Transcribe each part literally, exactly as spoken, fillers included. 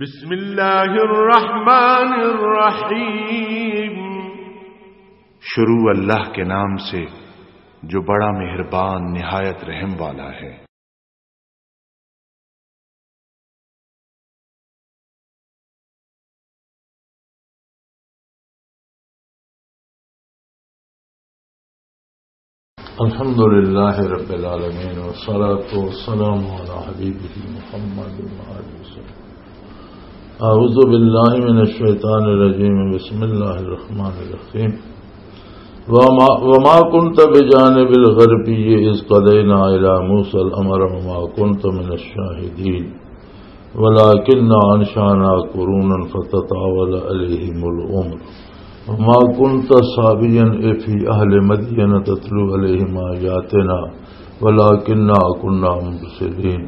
بسم اللہ الرحمن الرحیم۔ شروع اللہ کے نام سے جو بڑا مہربان نہایت رحم والا ہے۔ الحمد لله رب العالمين، والصلاة والسلام على حبيبه محمد وعلى آله وسلم. أعوذ بالله من الشيطان الرجيم. بسم الله الرحمن الرحيم. وما، وما كنت بجانب الغربي إذ قضينا إلى موسى الأمر وما كنت من الشاهدين. ولكن أنشأنا قرونا فتطاول عليهم العمر وما كنت ثاويا في أهل مدين تتلو عليهم آياتنا ولكنا كنا مرسلين.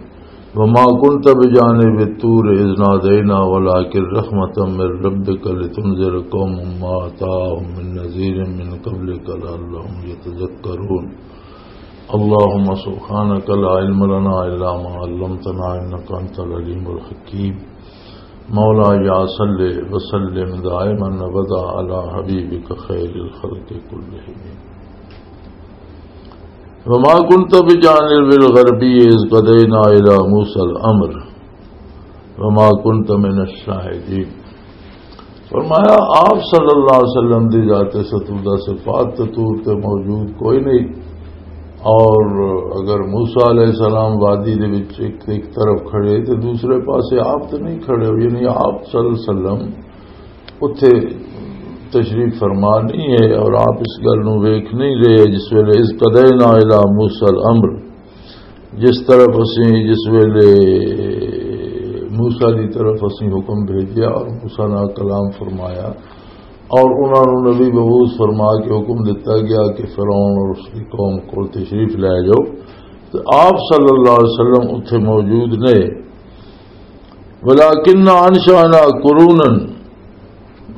وما كنت بجانب الطور إذ نادينا ولكن رحمة من ربك لتنذر قوما ما أتاهم من نذير من قبلك لعلهم يتذكرون. اللهم سبحانك لا علم لنا إلا ما علمتنا إنك أنت العليم الحكيم. مولاي صل وسلم دائما أبدا على حبيبك خير الخلق كلهم. وما كنت بجانب الغربي إذ قضينا إلى موسى الأمر وما كنت من الشاهدين. فرمایا، آپ صلی اللہ علیہ وسلم دی ذات ستودہ صفات تے طور تے موجود کوئی نہیں، اور اگر موسیٰ علیہ السلام وادی دے وچ ایک، ایک طرف کھڑے تے دوسرے پاسے آپ تے نہیں کھڑے ہو، یعنی آپ صلی اللہ علیہ وسلم اتھے تشریف فرما نہیں ہے، اور آپ اس گل نو ویکھ نہیں رہے۔ جس ویلے اذ قضینا الی موسیٰ الامر، جس طرف اسیں، جس ویلے موسیٰ دی طرف اسیں حکم بھیجیا اور موسیٰ نال کلام فرمایا اور انہاں نوں نبی مبعوث فرما کے حکم دتا گیا کہ فرعون اور اس دی قوم کول تشریف لے جاؤ، تو آپ صلی اللہ علیہ وسلم اتھے موجود نے۔ ولكن أنشأنا قرونا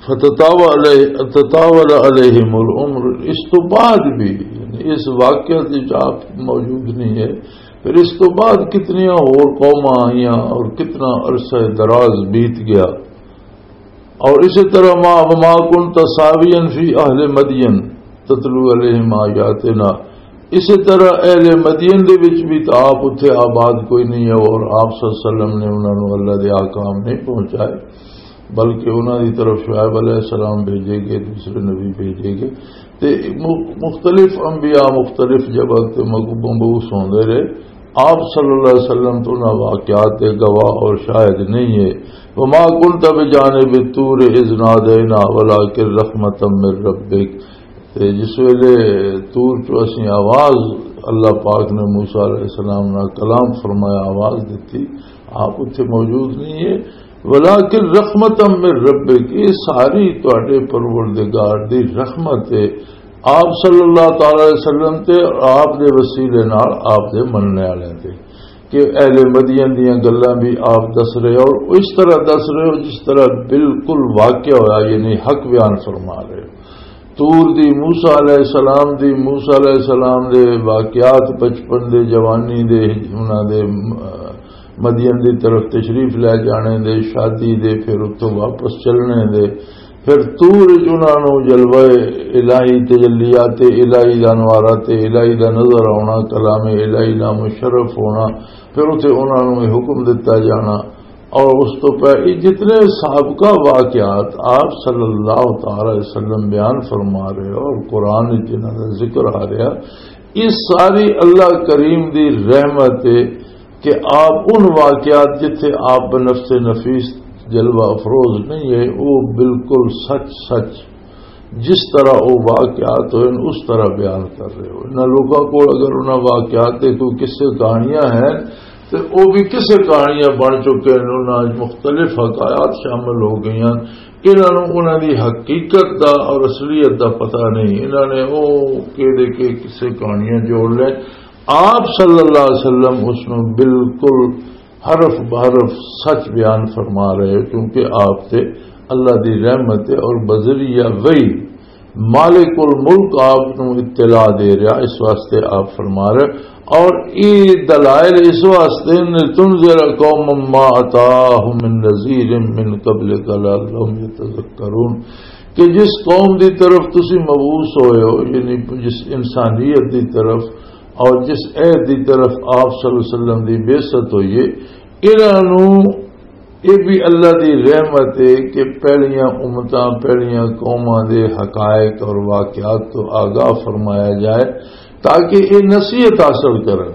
فتطاول عليه، تطاول عليهم العمر، اس تو بعد بھی، یعنی اس واقعہ وچ آپ موجود نہیں ہے، پھر اس تو بعد کتنیاں ہور قوماں آئیاں اور کتنا عرصہ دراز بیت گیا۔ اور اسی طرح ما، وما كنت ثاويا في أهل مدين تتلو عليهم آياتنا، اسی طرح اہل مدین دے وچ بھی تو آپ اتھے آباد کوئی نہیں ہے، اور آپ صلی اللہ علیہ وسلم نے انہاں نوں اللہ دے احکام نہیں پہنچائے، بلکہ انہاں دی طرف شعیب علیہ السلام بھیجے گئے، دوسرے نبی بھیجے گئے، تے مخ-، مختلف انبیاء مختلف جگہ تے مبعوث ہوندے رہے۔ آپ صلی اللہ علیہ وسلم تو انہاں واقعات دے گواہ اور شاہد نہیں ہے۔ وما كنت بجانب الطور إذ نادينا ولكن رحمة من ربك۔ تے جس ویلے طور چوں اسیں آواز، اللہ پاک نے موسیٰ علیہ السلام نال کلام فرمایا، آواز دتی، آپ اتھے موجود نہیں ہے۔ ولكن رحمة من ربك، یہ ساری تواڈے پروردگار دی رحمت ہے آپ صلی اللہ تعالی علیہ وسلم تے اور آپ دے وسیلے نال آپ دے مننے والے تے، کہ اہل مدین دیاں گلاں بھی آپ دس رہے اور اس طرح دس رہے ہو جس طرح بالکل واقعہ ہویا، یعنی حق بیان فرما رہے ہو۔ طور دی، موسیٰ علیہ السلام دی، موسیٰ علیہ السلام دے واقعات، بچپن دے، جوانی دے، انہاں دے، م-، مدین دی طرف تشریف لے جانے دے، شادی دے، پھر اتھوں واپس چلنے دے، پھر طور وچ انہاں نوں جلوہ الہی، تجلیات الہی دا، انوارات الہی دا نظر آنا، کلام الہی نال مشرف ہونا، پھر اتھے انہاں نوں یہ حکم دتا جانا۔ اور اس تو پہلے جتنے سابقہ واقعات آپ صلی اللہ تعالی علیہ وسلم بیان فرما رہے ہو اور قرآن وچ جنہاں دا ذکر آ رہا، یہ ساری اللہ کریم دی رحمت ہے کہ آپ ان واقعات جتھے آپ بنفس نفیس جلوہ افروز نہیں ہے، وہ بالکل سچ سچ جس طرح وہ واقعات ہوئے، اس طرح بیان کر رہے ہو۔ انہاں لوگاں کول اگر انہاں واقعات تے کوئی قصے کہانیاں ہیں، تے او بھی قصے کہانیاں بن چکے ہیں، انہاں وچ مختلف حکایات شامل ہو گئی ہیں۔ انہاں نوں انہاں دی حقیقت دا اور اصلیت دا پتہ نہیں، انہاں نے او کہڑے کے قصے کہانیاں جوڑ لے۔ آپ صلی اللہ علیہ وسلم اس نوں بالکل حرف بحرف سچ بیان فرما رہے، کیونکہ آپ تے اللہ دی رحمت ہے اور بذریعہ وحی مالک الملک آپ نوں اطلاع دے رہا، اس واسطے آپ فرما رہے۔ اور یہ دلائل اس واسطے نے، لِتُنذِرَ قَوْمًا مَا أَتَاهُم مِّن نَّذِيرٍ مِّن قَبْلِكَ لَعَلَّهُمْ يَتَذَكَّرُونَ، کہ جس قوم دی طرف تسی مبعوث ہوئے ہو، یعنی جس انسانیت دی طرف اور جس عہد دی طرف آپ صلی اللہ علیہ وسلم دی بعثت ہوئی ہے، انہاں نوں یہ بھی اللہ دی رحمت ہے کہ پہلیاں امتاں، پہلیاں قوماں دے حقائق اور واقعات تو آگاہ فرمایا جائے، تاکہ یہ نصیحت حاصل کرن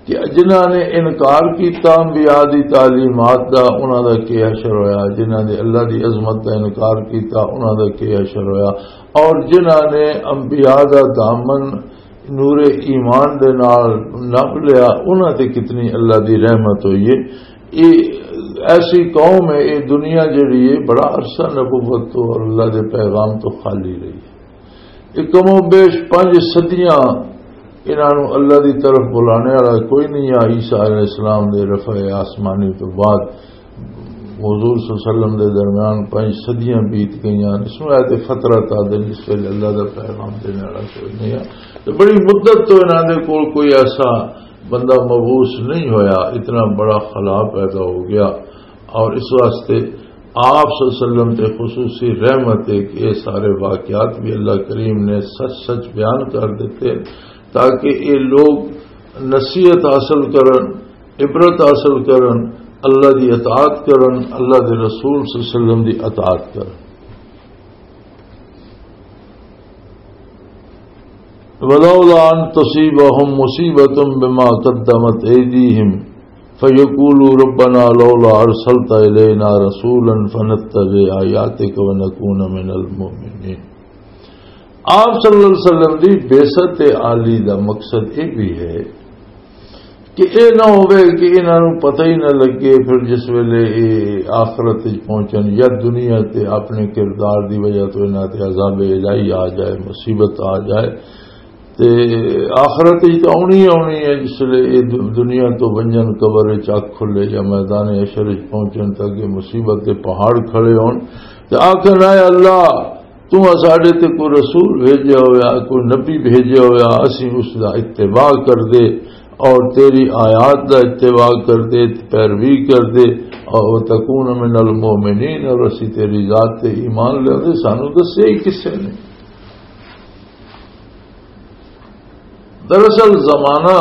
کہ جنہاں نے انکار کیتا انبیاء دی تعلیمات دا، انہاں دا کی حشر ہویا، جنہاں نے اللہ دی عظمت دا انکار کیتا، انہاں دا کی حشر ہویا، اور جنہاں نے انبیاء دا دامن نور ایمان دے نال نپ لیا، انہاں تے کتنی اللہ دی رحمت ہوئی ہے۔ یہ ایسی قوم ہے، یہ دنیا جڑی ہے، بڑا عرصہ نبوت تو اور اللہ دے پیغام تو خالی رہی ہے۔ یہ کم و بیش پنج صدیاں انہاں نوں اللہ دی طرف بلانے والا کوئی نہیں آ۔ عیسیٰ علیہ السلام دے رفع آسمانی تو بعد حضور صلی اللہ علیہ وسلم دے درمیان پنج صدیاں بیت گئیاں۔ اس نوں آیت فترت آدھے، جس ویلے اللہ دا پیغام دینے والا کوئی نہیں آ۔ تو بڑی مدت تو انہاں دے کول کوئی ایسا بندہ مبعوث نہیں ہویا، اتنا بڑا خلا پیدا ہو گیا۔ اور اس واسطے آپ صلی اللہ علیہ وسلم تے خصوصی رحمت ہے کہ یہ سارے واقعات بھی اللہ کریم نے سچ سچ بیان کر دیتے، تاکہ یہ لوگ نصیحت حاصل کرن، عبرت حاصل کرن، اللہ دی اطاعت کرن، اللہ دے رسول صلی اللہ علیہ وسلم دی اطاعت کرن۔ ولولا ان تصيبهم مصيبة بما قدمت ايديهم فيقولوا ربنا لولا ارسلت الينا رسولا فنتبع آياتك ونكون من المؤمنين۔ آپ صلی اللہ علیہ وسلم دی بعثت عالی دا مقصد یہ بھی ہے کہ اے نہ ہوئے کہ انہاں نوں پتہ ہی نہ لگے، پھر جس ویلے اے آخرت وچ پہنچن یا دنیا تے اپنے کردار دی وجہ تو انہاں تے عذاب الہی آ جائے، مصیبت آ جائے، تے آخرت وچ تو آنی ہی آنی ہے۔ جس ویلے اے د-، دنیا تو ونجن، قبر وچ اکھ کھلے یا میدان حشر وچ پہنچن، تاکہ مصیبت دے پہاڑ کھڑے ہون تے آکھن، "اے اللہ، تو ساڈے تے کوئی رسول بھیجیا ہویا، کوئی نبی بھیجیا ہویا، اسی اس دا اتباع کر دے اور تیری آیات دا اتباع کر دے، پیروی کر دے، اور وتکون من المؤمنین، اور اسی تیری ذات تے ایمان لے دے، سانو دسے ہی کسے نے۔" دراصل زمانہ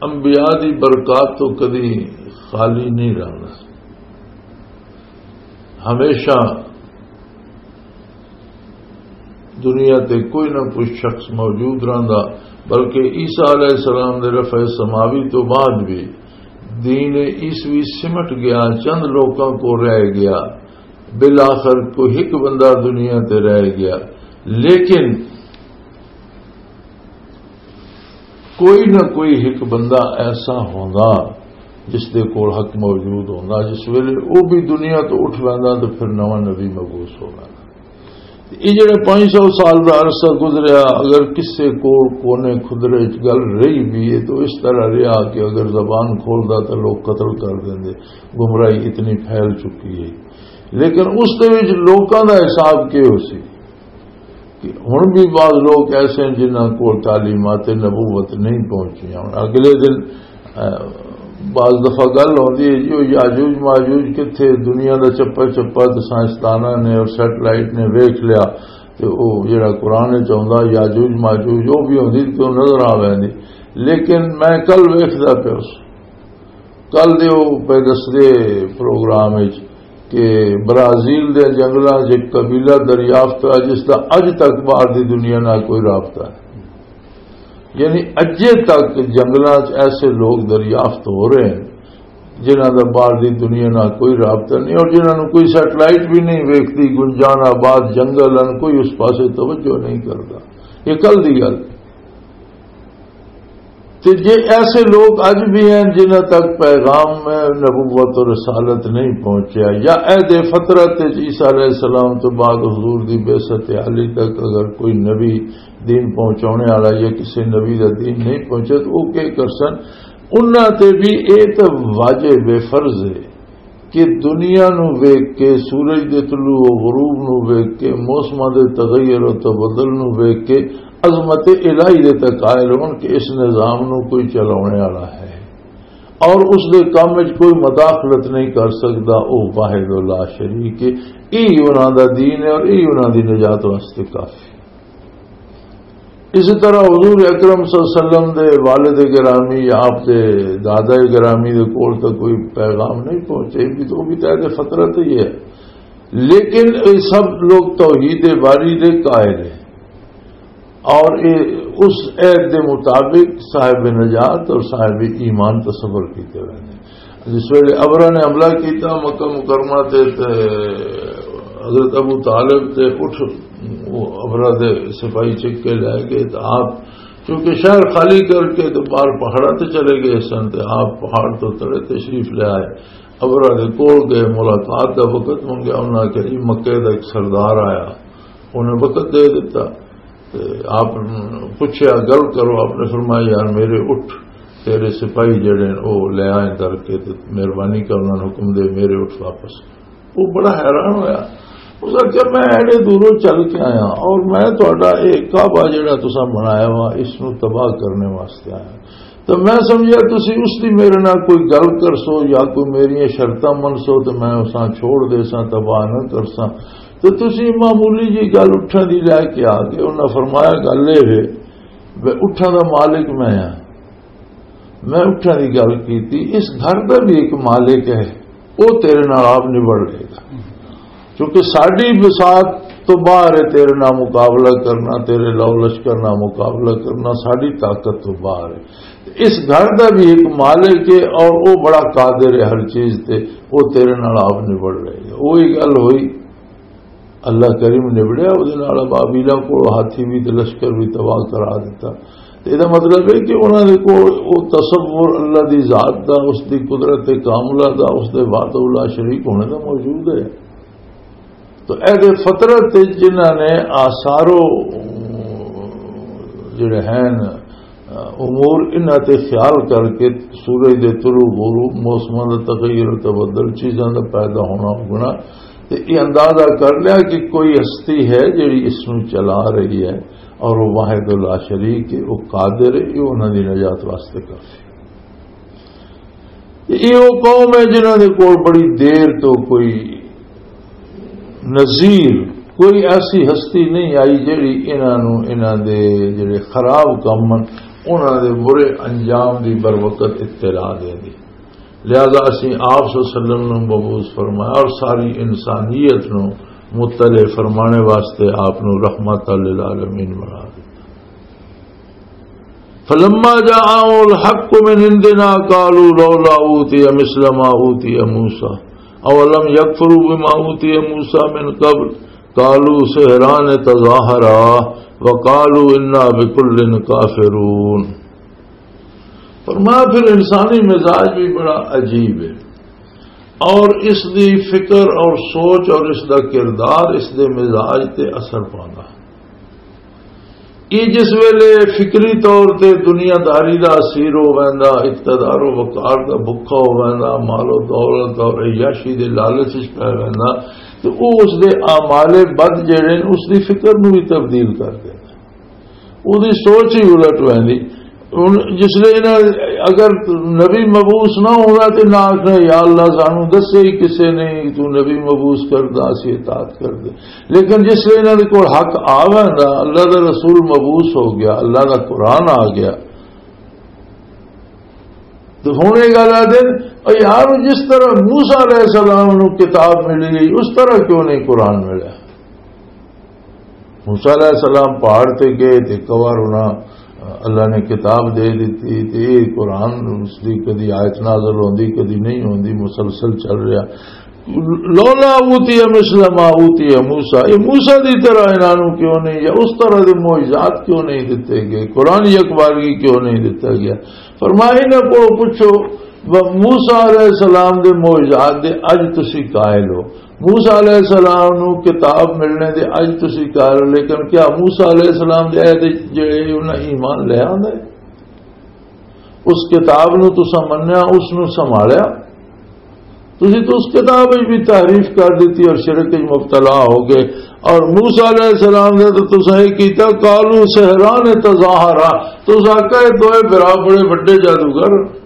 انبیاء دی برکات تو کدی خالی نہیں رہنا۔ ہمیشہ دنیا تے کوئی نہ کوئی شخص موجود رہندا، بلکہ عیسیٰ علیہ السلام دے رفع سماوی تو بعد بھی دین عیسوی سمٹ گیا، چند لوکاں کو رہ گیا، بالآخر کوئی ایک بندہ دنیا تے رہ گیا، لیکن کوئی نہ کوئی ایک بندہ ایسا ہوندا جس دے کول حق موجود ہوندا، جس ویلے او بھی دنیا تو اٹھ ویندا تے پھر نواں نبی مبعوث ہو ویندا۔ تے اے جڑے پانچ سو سال دا عرصہ گزریا، اگر کسے کول کونے خدرے وچ گل رہی بھی ہے تو اس طرح رہیا کہ اگر زبان کھولدا تے لوگ قتل کر دیندے، گمراہی اتنی پھیل چکی ہے۔ لیکن اس دے وچ لوکاں دا حساب کی ہو سی؟ کہ ہن بھی بعض لوگ ایسے ہیں جنہاں کول تعلیمات نبوت نہیں پہنچیاں۔ ہن اگلے دن، اہ، بعض دفعہ گل ہوندی ہے جی، او یاجوج ماجوج کتھے؟ دنیا دا چپا چپا تے سائنسداناں نے اور سیٹلائٹ نے ویکھ لیا، تے او جڑا قرآن وچ آوندا یاجوج ماجوج، او بھی ہوندی تے او نظر آ ویندی۔ لیکن میں کل ویکھدا پیا اس کل دے او پہ دسدے پروگرام وچ کہ برازیل دے جنگلاں 'چ ایک قبیلہ دریافت ہویا جس دا اج تک باہر دی دنیا نال کوئی رابطہ نہیں۔ یعنی اجے تک جنگلاں 'چ ایسے لوگ دریافت ہو رہے ہیں جنہاں دا باہر دی دنیا نال کوئی رابطہ نہیں، اور جنہاں نوں کوئی سیٹلائٹ بھی نہیں ویکھدی، گنجان آباد جنگل ہیں، کوئی اس پاسے توجہ نہیں کردا۔ یہ کل دی گل۔ تے جے ایسے لوگ اج بھی ہیں جنہاں تک پیغام نبوت و رسالت نہیں پہنچیا، یا عہد فطرت وچ عیسیٰ علیہ السلام تو بعد حضور دی بعثت عالی تک اگر کوئی نبی دین پہنچانے والا یا کسی نبی دا دین نہیں پہنچا تو وہ کیا کرسن؟ انہاں تے بھی اے تے واجب فرض ہے کہ دنیا نو ویکھ کے، سورج دے طلوع و غروب نو ویکھ کے، موسماں دے تغیر و تبدل نو ویکھ کے عظمت الہی دے تے قائل ہون کہ اس نظام نو کوئی چلاونے والا ہے اور اس دے کم وچ کوئی مداخلت نہیں کر سکدا، او واحد لا شریک ہے۔ یہی انہاں دا دین ہے اور یہی انہاں دی نجات واسطے کافی۔ اسی طرح حضور اکرم صلی اللہ علیہ وسلم دے والد گرامی یا آپ دے دادا گرامی دے کول تک کوئی پیغام نہیں پہنچے، بھی تو، وہ بھی تحت فطرت ہی ہے۔ لیکن یہ سب لوگ توحید باری دے قائل ہیں اور یہ اس عہد دے مطابق صاحب نجات اور صاحب ایمان تصور کیتے ہوئے ہیں۔ جس ویلے ابرا نے حملہ کیتا مکہ مکرمہ تے، تے حضرت ابو طالب تے اٹھ، وہ ابرا دے سپاہی چک کے لے گئے۔ تو آپ چونکہ شہر خالی کر کے تو باہر پہاڑا تے چلے گئے سن، تے آپ پہاڑ تو تلے تشریف لے آئے۔ ابرا دے کول گئے، ملاقات دا وقت منگیا، انہاں کہ جی مکے دا ایک سردار آیا، انہیں وقت دے دیتا۔ تے آپ پوچھیا، "گل کرو۔" آپ نے فرمایا، "یار، میرے اٹھ تیرے سپاہی جڑے نے، او لے آئے کر کے، تے مہربانی کر، انہاں نے حکم دے، میرے اٹھ واپس۔" وہ بڑا حیران ہویا۔ اس نے کہا، "میں ایڈے دوروں چل کے آیا اور میں تہاڈا یہ کعبہ جڑا تساں بنایا وا، اس نو تباہ کرنے واسطے آیا۔" تو میں سمجھیا تسی اس دی میرے نال کوئی گل کرسو یا کوئی میری شرطاں منسو، تو میں اساں چھوڑ دے ساں، تباہ نہ کرساں۔ تو تسی معمولی جی گل اٹھاں دی لے کے آ گئے۔ انہاں فرمایا، "گل یہ ہے، میں اٹھاں دا مالک میں ہاں، میں اٹھاں دی گل کیتی، اس گھر دا بھی ایک مالک ہے، وہ تیرے نال آپ نبڑ لے گا۔" کیونکہ ساڈی بساط تو باہر ہے تیرے نال مقابلہ کرنا، تیرے لو لشکر نال مقابلہ کرنا ساڈی طاقت تو باہر ہے۔ اس گھر دا بھی ایک مالک ہے اور وہ بڑا قادر ہے ہر چیز تے، وہ تیرے نال آپ نبڑ لے گا۔ وہی گل ہوئی، اللہ کریم نبڑیا، وہ نال بابیلاں کو ہاتھی بھی تے لشکر بھی تباہ کرا دیتا۔ تے یہ مطلب ہے کہ انہاں دے کو وہ تصور اللہ دی ذات دا، اس دی قدرت کاملہ دا، اس دے وحدہ لا شریک ہونے دا موجود ہے۔ تو اہل فطرت جنہاں نے آثارو جڑے ہیں امور، انہاں تے خیال کر کے سورج دے طلوع غروب، موسماں دا تغیر و تبدل، چیزاں دا پیدا ہونا اگنا، تے یہ اندازہ کر لیا کہ کوئی ہستی ہے جڑی اس نو چلا رہی ہے اور وہ واحد لا شریک ہے، وہ قادر ہے، یہ انہاں دی نجات واسطے کافی۔ یہ وہ قوم ہے جنہاں دے کول بڑی دیر تو کوئی نذیر، کوئی ایسی ہستی نہیں آئی جڑی انہاں نوں، انہاں دے جڑے خراب کم ہن، انہاں دے برے انجام دی بر وقت اطلاع دے دی۔ لہذا اسیں آپ صلی اللہ علیہ وسلم نوں مبعوث فرمایا اور ساری انسانیت نوں مطلع فرمانے واسطے آپ نوں رحمت للعالمین بنا دتا۔ فلما جاءهم الحق من عندنا قالوا لولا اوتي مثل ما اوتي موسى اولم يكفروا بما اوتي موسى من قبل قالوا سحران تظاهرا وقالوا انا بكل كافرون۔ فرمایا، پھر انسانی مزاج بھی بڑا عجیب ہے اور اس دی فکر اور سوچ اور اس دا کردار اس دے مزاج تے اثر پاندا۔ یہ جس ویلے فکری طور تے دنیا داری دا اسیر ہو ویندا، اقتدار و وقار دا بھکھا ہو ویندا، مال و دولت اور عیاشی دے لالچ وچ پے ویندا، تے او اس دے اعمال بد جڑے نے، اس دی فکر نو بھی تبدیل کر دیندا۔ اودی سوچ ہی الٹ ویندی۔ ہن جس لے انہاں، اگر نبی مبعوث نہ ہوندا تے نہ آکھنا، "یا اللہ، سانو دسے ہی کسے نے تو نبی مبعوث کردا، اسی اطاعت کردے۔" لیکن جس لے انہاں دے کول حق آ ویندا، اللہ دا رسول مبعوث ہو گیا، اللہ دا قرآن آ گیا، تو ہن یہ گل آ دین، "او یار، جس طرح موسیٰ علیہ السلام نو کتاب ملی گئی، اس طرح کیوں نہیں قرآن ملیا؟" موسیٰ علیہ السلام پہاڑ تے گئے تے ایک وار انہاں، اللہ نے کتاب دے دتی تے یہ قرآن اس دی کدی آیت نازل ہوندی، کدی نہیں ہوندی، مسلسل چل رہا۔ لولا اوتی مثل ما اوتی موسیٰ، یہ موسیٰ دی طرح انہاں نوں کیوں نہیں، یا اس طرح دے معجزات کیوں نہیں دتے گئے، قرآن یک بارگی کیوں نہیں دتا گیا؟ فرمایا، انہاں کو پوچھو، موسیٰ علیہ السلام دے معجزات دے اج تسی قائل ہو، موسیٰ علیہ السلام نو کتاب ملنے دے اج تسی قائل ہو، لیکن کیا موسیٰ علیہ السلام دے عہد وچ جڑے انہاں ایمان لے آندے؟ اس کتاب نو تساں منیا، اس نو سنبھالیا؟ تسی تو اس کتاب وچ بھی تحریف کر دیتی اور شرک وچ مبتلا ہو گئے۔ اور موسیٰ علیہ السلام نے تو تساں یہ کیتا، قالوا سحران تظاہرا، تساں کہے دوئے برا بڑے وڈے جادوگر۔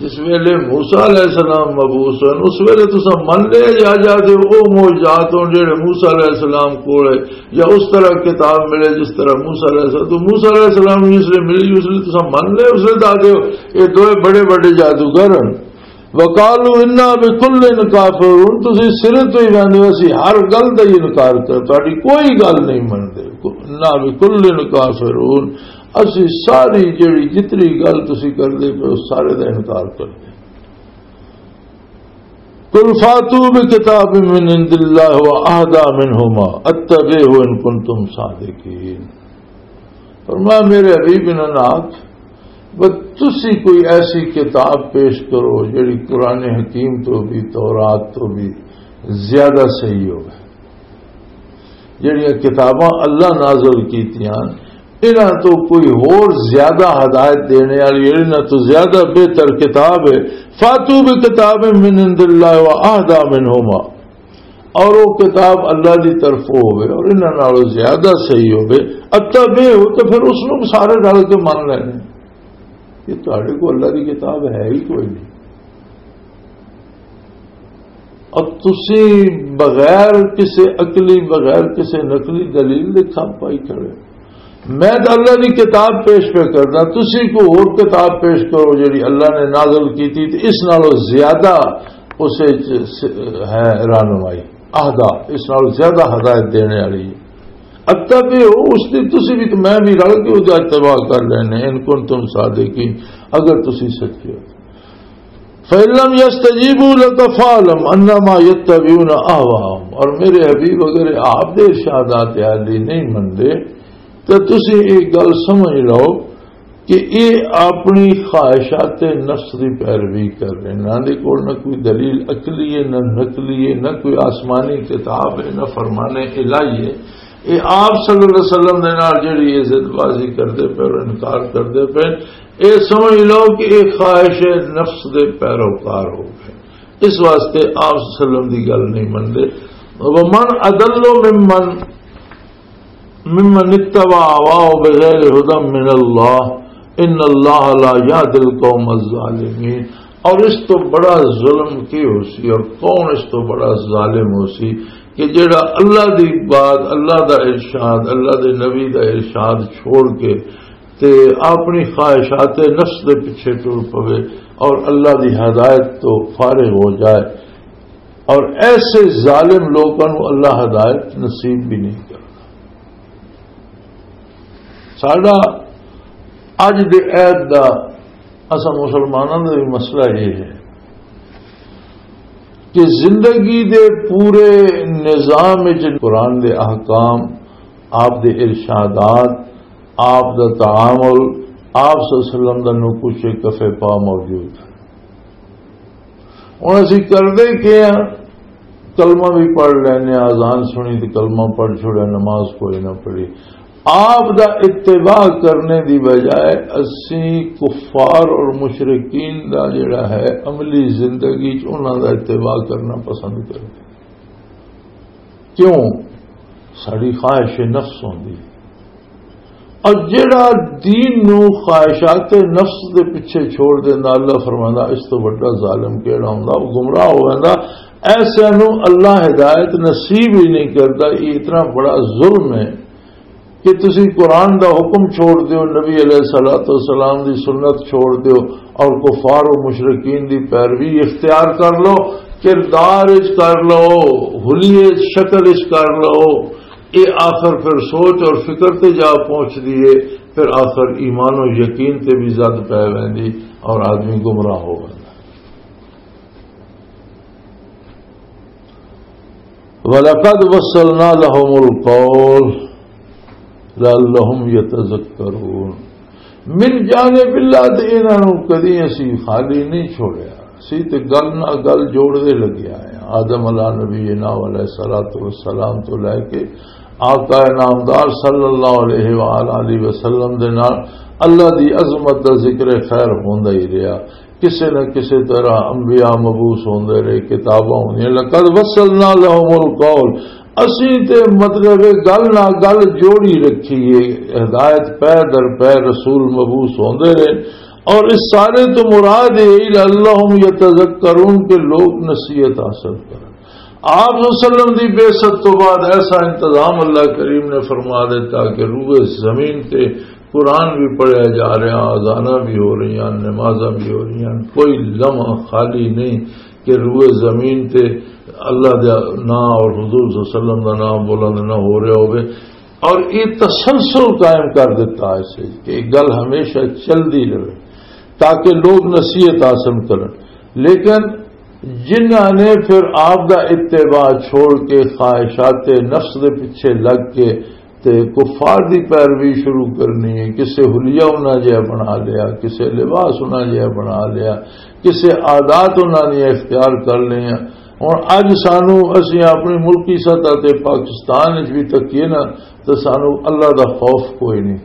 جس ویلے موسیٰ علیہ السلام مبعوث ہوئے، اس ویلے تساں من لے یا جا دے او معجزات ہون جڑے موسیٰ علیہ السلام کول ہے، یا اس طرح کتاب ملے جس طرح موسیٰ علیہ السلام، تو موسیٰ علیہ السلام جس لے ملی، اس لے تساں من لے، اس لے دا دے، یہ دوئے بڑے بڑے جادوگر ہیں۔ وقالوا انا بکل کافرون، تسی سرے تو ہی ویندے ہو، اسی ہر گل دا ہی انکار کر، تہاڈی کوئی گل نہیں مندے۔ انا بکل کافرون، اسی ساری جڑی جتنی گل تسی کردے پے ہو، سارے دا انکار کردے۔ قل فاتوا بکتاب من عند اللہ و اہدی منہما اتبعہ ان کنتم صادقین۔ فرمایا، میرے حبیب، انہاں نال آکھ، بس تسی کوئی ایسی کتاب پیش کرو جڑی قرآن حکیم تو بھی، تورات تو بھی زیادہ صحیح ہوگا۔ جڑیاں کتاباں اللہ نازل کیتیاں، انہاں تو کوئی ہور زیادہ ہدایت دینے والی، انہاں تو زیادہ بہتر کتاب ہے۔ فاتوا بکتاب من عند اللہ و اہدی منہما، اور وہ کتاب اللہ دی طرفوں ہوئے اور انہاں نالوں زیادہ صحیح ہوئے، اتبعہ، تو پھر اس نوں سارے رل کے من لینے۔ یہ تہاڈے کو اللہ دی کتاب ہے ہی کوئی نہیں۔ اور تسی بغیر کسی عقلی، بغیر کسی نقلی دلیل دے کھپ پائی کھڑے۔ میں تو اللہ دی کتاب پیش پہ کرنا، تسی کو اور کتاب پیش کرو جڑی اللہ نے نازل کی تھی، تے اس نالوں زیادہ اس وچ س-، ہے رہنمائی، اہدا، اس نالوں زیادہ ہدایت دینے والی ہے۔ اتبعہ، اس دی تسی بھی تو میں بھی رل کے اس دا اتباع کر لینے، ان کنتم صادقین، اگر تسی سچے ہو۔ فَإِن لَّمْ يَسْتَجِيبُوا لَكَ فَاعْلَمْ أَنَّمَا يَتَّبِعُونَ أَهْوَاءَهُمْ۔ اور میرے حبیب، اگر آپ دے ارشادات عالی نہیں مندے، تو تسی ایک گل سمجھ لو کہ یہ اپنی خواہشات نفس دی پیروی کر رہے ہیں۔ انہاں دے کول نہ کوئی دلیل عقلی ہے، نہ نقلی ہے، نہ کوئی آسمانی کتاب ہے، نہ فرمان الہی ہے۔ یہ آپ صلی اللہ علیہ وسلم دے نال جڑی یہ ضد بازی کردے پے اور انکار کردے پے، اے سمجھ لو کہ اے خواہش نفس دے پیروکار ہو گئے۔ اس واسطے آپ صلی اللہ علیہ وسلم دی گل نہیں مندے۔ ومن اضل ممن، ممن اتبع هواه بغیر هدى من الله، ان الله لا يهدي القوم الظالمين۔ اور اس تو بڑا ظلم کی ہو سی اور کون اس تو بڑا ظالم ہو سی کہ جڑا اللہ دی بات، اللہ دا ارشاد، اللہ دے نبی دا ارشاد چھوڑ کے تے اپنی خواہشات نفس دے پیچھے ٹر پوے اور اللہ دی ہدایت تو فارغ ہو جائے، اور ایسے ظالم لوگاں نوں اللہ ہدایت نصیب بھی نہیں کرتا۔ ساڈا اج دے عہد دا، اساں مسلماناں دا بھی مسئلہ یہ ہے کہ زندگی دے پورے نظام وچ قرآن دے احکام، آپ دے ارشادات، آپ دا تعامل، آپ صلی اللہ علیہ وسلم دا نقوش کف پا موجود ہے۔ ہن اسی کردے کی ہاں؟ کلمہ بھی پڑھ لینے، اذان سنی تے کلمہ پڑھ چھوڑیا، نماز کوئی نہ پڑھی۔ آپ دا اتباع کرنے دی بجائے اسی کفار اور مشرکین دا جڑا ہے عملی زندگی چ انہاں دا اتباع کرنا پسند کرنے۔ کیوں؟ ساری خواہش نفس ہوندی ہے۔ اور جڑا دین نو خواہشات نفس دے پیچھے چھوڑ دیندا، اللہ فرماندا، اس تو بڑا ظالم کیڑا ہوندا؟ وہ گمراہ ہو ویندا۔ ایسے نو اللہ ہدایت نصیب ہی نہیں کردا۔ یہ اتنا بڑا ظلم ہے کہ تسی قرآن دا حکم چھوڑ دیو، نبی علیہ الصلوۃ والسلام دی سنت چھوڑ دیو اور کفار و مشرکین دی پیروی اختیار کر لو، کردار اچ کر لو، حلیے شکل اچ کر لو۔ اے آخر پھر سوچ اور فکر تے جا پہنچ دیے، پھر آخر ایمان و یقین تے بھی زد پے ویندی اور آدمی گمراہ ہو ویندا۔ وَلَقَدْ وَصَّلْنَا لَهُمُ الْقَوْلَ لَعَلَّهُمْ يَتَذَكَّرُونَ۔ من جانب اللہ تے انہاں نوں کدی اسی خالی نہیں چھوڑیا۔ اسی تے گل نہ گل جوڑ دے لگے آئے ہیں۔ آدم علیہ نبینا علیہ الصلوۃ والسلام تو لے کے آقا نامدار صلی اللہ علیہ وآلہ وسلم دے نال اللہ دی عظمت دا ذکر خیر ہوندا ہی رہیا۔ کسے نہ کسے طرح انبیاء مبعوث ہوندے رہے، کتاباں ہوندیاں۔ لقد وصلنا لهم القول، اسی تے مطلب گل نہ گل جوڑی رکھی ہے۔ ہدایت پہ در پہ رسول مبعوث ہوندے رہے، اور اس سارے تو مراد یہ لعلهم يتذكرون کہ لوگ نصیحت حاصل کرن۔ آپ صلی اللہ علیہ وسلم دی بعثت تو بعد ایسا انتظام اللہ کریم نے فرما دیتا کہ روئے زمین تے قرآن بھی پڑھیا جا رہا، اذاناں بھی ہو رہی ہیں، نمازاں بھی ہو رہی ہیں، کوئی لمحہ خالی نہیں کہ روئے زمین تے اللہ دا نام اور حضور صلی اللہ علیہ وسلم دا نام بلند نہ ہو رہا ہوئے۔ اور یہ تسلسل قائم کر دیتا ہے اس وچ کہ یہ گل ہمیشہ چلدی رہے تاکہ لوگ نصیحت حاصل کرن۔ لیکن جنہاں نے پھر آپ دا اتباع چھوڑ کے خواہشات نفس دے پیچھے لگ کے تے کفار دی پیروی شروع کرنی ہے، کسے حلیہ انہاں جہا بنا لیا، کسے لباس انہاں جہا بنا لیا، کسے عادات انہاں نے اختیار کر لیا۔ ہن اج سانو، اسی اپنی ملکی سطح تے پاکستان وچ بھی تکیے نا، تے سانو اللہ دا خوف کوئی نہیں،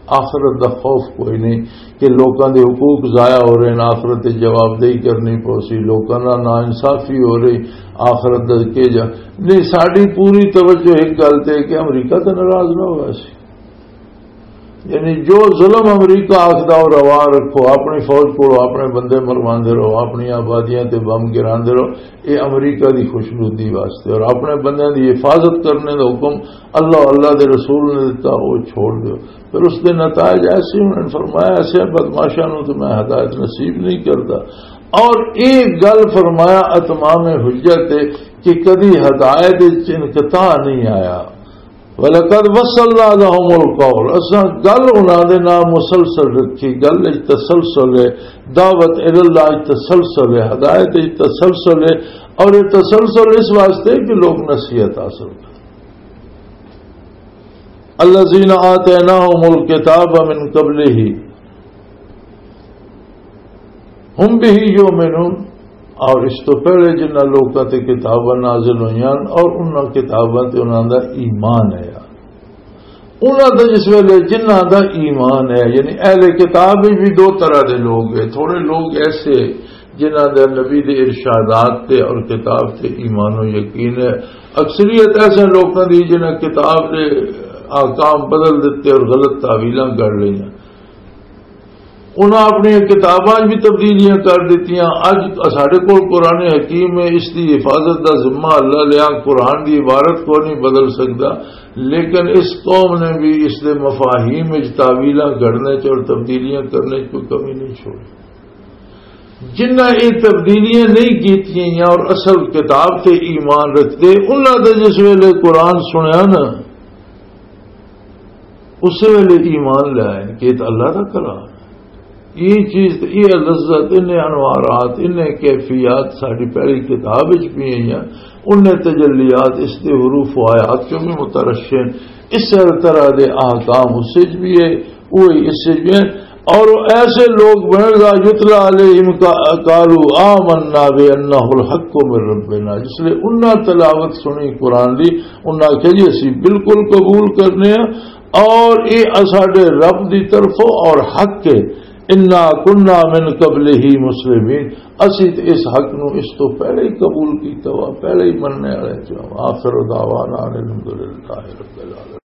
آخرت دا خوف کوئی نہیں کہ لوکاں دے حقوق ضائع ہو رہے ہیں، آخرت دی جوابدہی کرنی پوسی، لوکاں نال ناانصافی ہو رہی، آخرت دا کے جا۔ نہیں، ساڈی پوری توجہ ایک گل تے کہ امریکہ تے ناراض نہ ہویا سی۔ یعنی جو ظلم امریکہ آخدا، او روا رکھو، اپنی فوج کولو اپنے بندے مرواندے رہو، اپنی آبادیاں تے بم گراندے رہو، اے امریکہ دی خوشنودی واسطے اور اپنے بندیاں دی حفاظت کرنے دا حکم اللہ، اللہ دے رسول نے دتا، او چھوڑ دیو۔ پھر اس دے نتائج ایسے، انہوں نے فرمایا، ایسے بدمعاشاں نوں تے میں ہدایت نصیب نہیں کردا۔ اور ایک گل فرمایا اتمام حجت تے کہ کدی ہدایت وچ انقطاع نہیں آیا۔ وَلَقَدْ وَصَّلْنَا لَهُمُ الْقَوْلَ، اساں گل انہاں دے نال مسلسل رکھی، گل وچ تسلسل ہے، دعوت الی اللہ وچ تسلسل ہے، ہدایت وچ تسلسل ہے، اور یہ تسلسل اس واسطے کہ لوگ نصیحت حاصل کریں۔ الذين آتيناهم الكتاب من قبله هم به يؤمنون، اور اس تو پہلے جنہاں لوکاں تے کتاباں نازل ہوئیاں اور انہاں کتاباں تے انہاں دا ایمان ہے۔ انہاں دا جس ویلے جنہاں دا ایمان ہے، یعنی اہل کتاب وچ بھی دو طرح دے لوگ ہیں۔ تھوڑے لوگ ایسے جنہاں دا نبی دے ارشادات تے اور کتاب تے ایمان و یقین ہے۔ اکثریت ایسے لوکاں دی جنہاں کتاب دے احکام بدل دتے اور غلط تعویلاں کر لئیاں۔ انہاں اپنی کتاباں 'چ بھی تبدیلیاں کر دتیاں۔ اج ساڈے کول قرآن حکیم ہے، اس دی حفاظت دا ذمہ اللہ لیا، قرآن دی عبارت کو نہیں بدل سکدا، لیکن اس قوم نے بھی اس دے مفاہیم وچ تاویلاں گھڑنے چ اور تبدیلیاں کرنے چ کوئی کمی نہیں چھوڑی۔ جنہاں یہ تبدیلیاں نہیں کیتیاں اور اصل کتاب تے ایمان رکھتے، انہاں دے جس ویلے قرآن سنیا نا، اس ویلے ایمان لے آئے کہ یہ تو اللہ دا کلام ہے۔ یہ چیز، یہ لذت، انہیں انوارات، انہیں کیفیات ساری پہلی کتاب وچ بھی ہیں، انہیں تجلیات اس دے حروف و آیات چوں بھی مترشح ہیں۔ اس طرح دے احکام اس وچ بھی ہے، وہی اس وچ بھی ہے۔ اور ایسے لوگ بنے، اذا یتلی علیہم قالوا آمنا بانہ الحق من ربنا، جس لئے انہاں تلاوت سنی قرآن دی، انہاں آکھیا، "جی، اسی بالکل قبول کرنے ہیں اور یہ اساڈے رب دی طرفوں اور حق ہے، انا کنا من قبلہ مسلمین، اسی تے اس حق نو اس تو پہلے ہی قبول کیتا ہوا، پہلے ہی مننے والے چ ہاں۔" آخر دعوانا ان الحمدللہ رب العالمین۔